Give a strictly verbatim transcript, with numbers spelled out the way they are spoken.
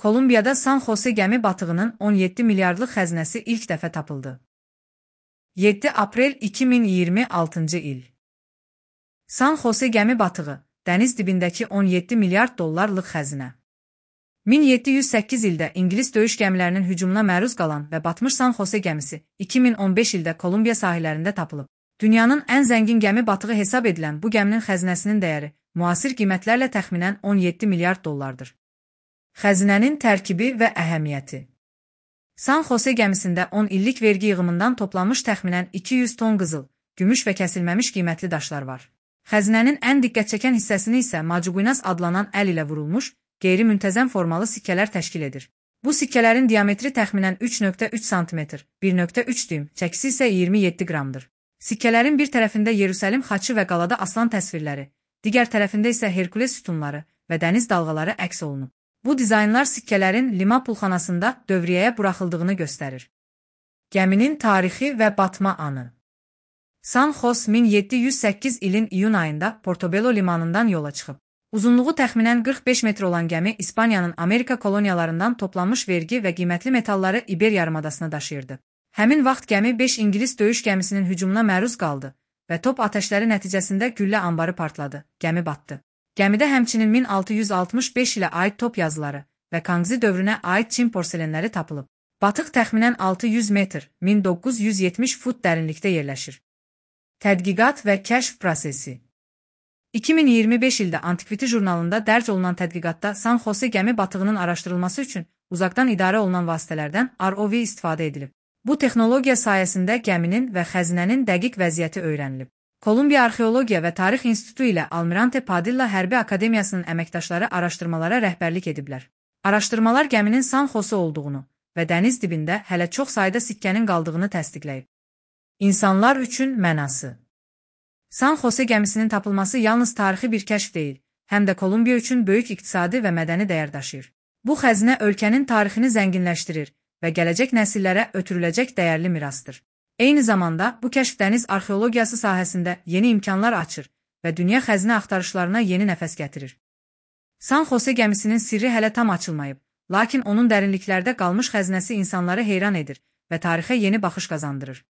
Kolumbiyada San Jose gəmi batığının on yeddi milyardlıq xəzinəsi ilk dəfə tapıldı. yeddi aprel iki min iyirmi altıncı il. San Jose gəmi batığı, dəniz dibindəki on yeddi milyard dollarlıq xəzinə. min yeddi yüz səkkiz ildə İngilis döyüş gəmilərinin hücumuna məruz qalan və batmış San Jose gəmisi iki min on beş ildə Kolumbiya sahillərində tapılıb. Dünyanın ən zəngin gəmi batığı hesab edilən bu gəminin xəzinəsinin dəyəri müasir qiymətlərlə təxminən on yeddi milyard dollardır. Xəzinənin tərkibi və əhəmiyyəti. San Jose gəmisində on illik vergi yığımından toplanmış təxminən iki yüz ton qızıl, gümüş və kəsilməmiş qiymətli daşlar var. Xəzinənin ən diqqət çəkən hissəsini isə Macuguinas adlanan əl ilə vurulmuş, qeyri-müntəzəm formalı sikkələr təşkil edir. Bu sikkələrin diametri təxminən üç nöqtə üç santimetr, bir nöqtə üç düym, çəkisi isə iyirmi yeddi qramdır. Sikkələrin bir tərəfində Yerusəlim xaçı və qalada aslan təsvirləri, digər tərəfində isə Herkules sütunları və dəniz dalğaları əks olunub. Bu dizaynlar sikkələrin Lima pulxanasında dövriyyəyə buraxıldığını göstərir. Gəminin tarixi və batma anı. San Jose min yeddi yüz səkkiz ilin iyun ayında Portobello limanından yola çıxıb. Uzunluğu təxminən qırx beş metr olan gəmi İspaniyanın Amerika koloniyalarından toplanmış vergi və qiymətli metalları İber yarımadasına daşıyırdı. Həmin vaxt gəmi beş İngilis döyüş gəmisinin hücumuna məruz qaldı və top atəşləri nəticəsində güllə anbarı partladı, gəmi batdı. Gəmidə həmçinin min altı yüz altmış beş ilə aid top yazıları və Kangzi dövrünə aid Çin porselenləri tapılıb. Batıq təxminən altı yüz metr, min doqquz yüz yetmiş fut dərinlikdə yerləşir. Tədqiqat və kəşf prosesi. iki min iyirmi beş ildə Antiquity jurnalında dərc olunan tədqiqatda San Jose gəmi batığının araşdırılması üçün uzaqdan idarə olunan vasitələrdən R O V istifadə edilib. Bu texnologiya sayəsində gəminin və xəzinənin dəqiq vəziyyəti öyrənilib. Kolumbiya Arxeologiya və Tarix İnstitutu ilə Almirante Padilla Hərbi Akademiyasının əməkdaşları araşdırmalara rəhbərlik ediblər. Araşdırmalar gəminin San Jose olduğunu və dəniz dibində hələ çox sayda sikkənin qaldığını təsdiqləyib. İnsanlar üçün mənası. San Jose gəmisinin tapılması yalnız tarixi bir kəşf deyil, həm də Kolumbiya üçün böyük iqtisadi və mədəni dəyər daşıyır. Bu xəzinə ölkənin tarixini zənginləşdirir və gələcək nəsillərə ötürüləcək dəyərli mirasdır. Eyni zamanda bu kəşf dəniz arxeologiyası sahəsində yeni imkanlar açır və dünya xəzinə axtarışlarına yeni nəfəs gətirir. San Jose gəmisinin sirri hələ tam açılmayıb, lakin onun dərinliklərdə qalmış xəzinəsi insanları heyran edir və tarixə yeni baxış qazandırır.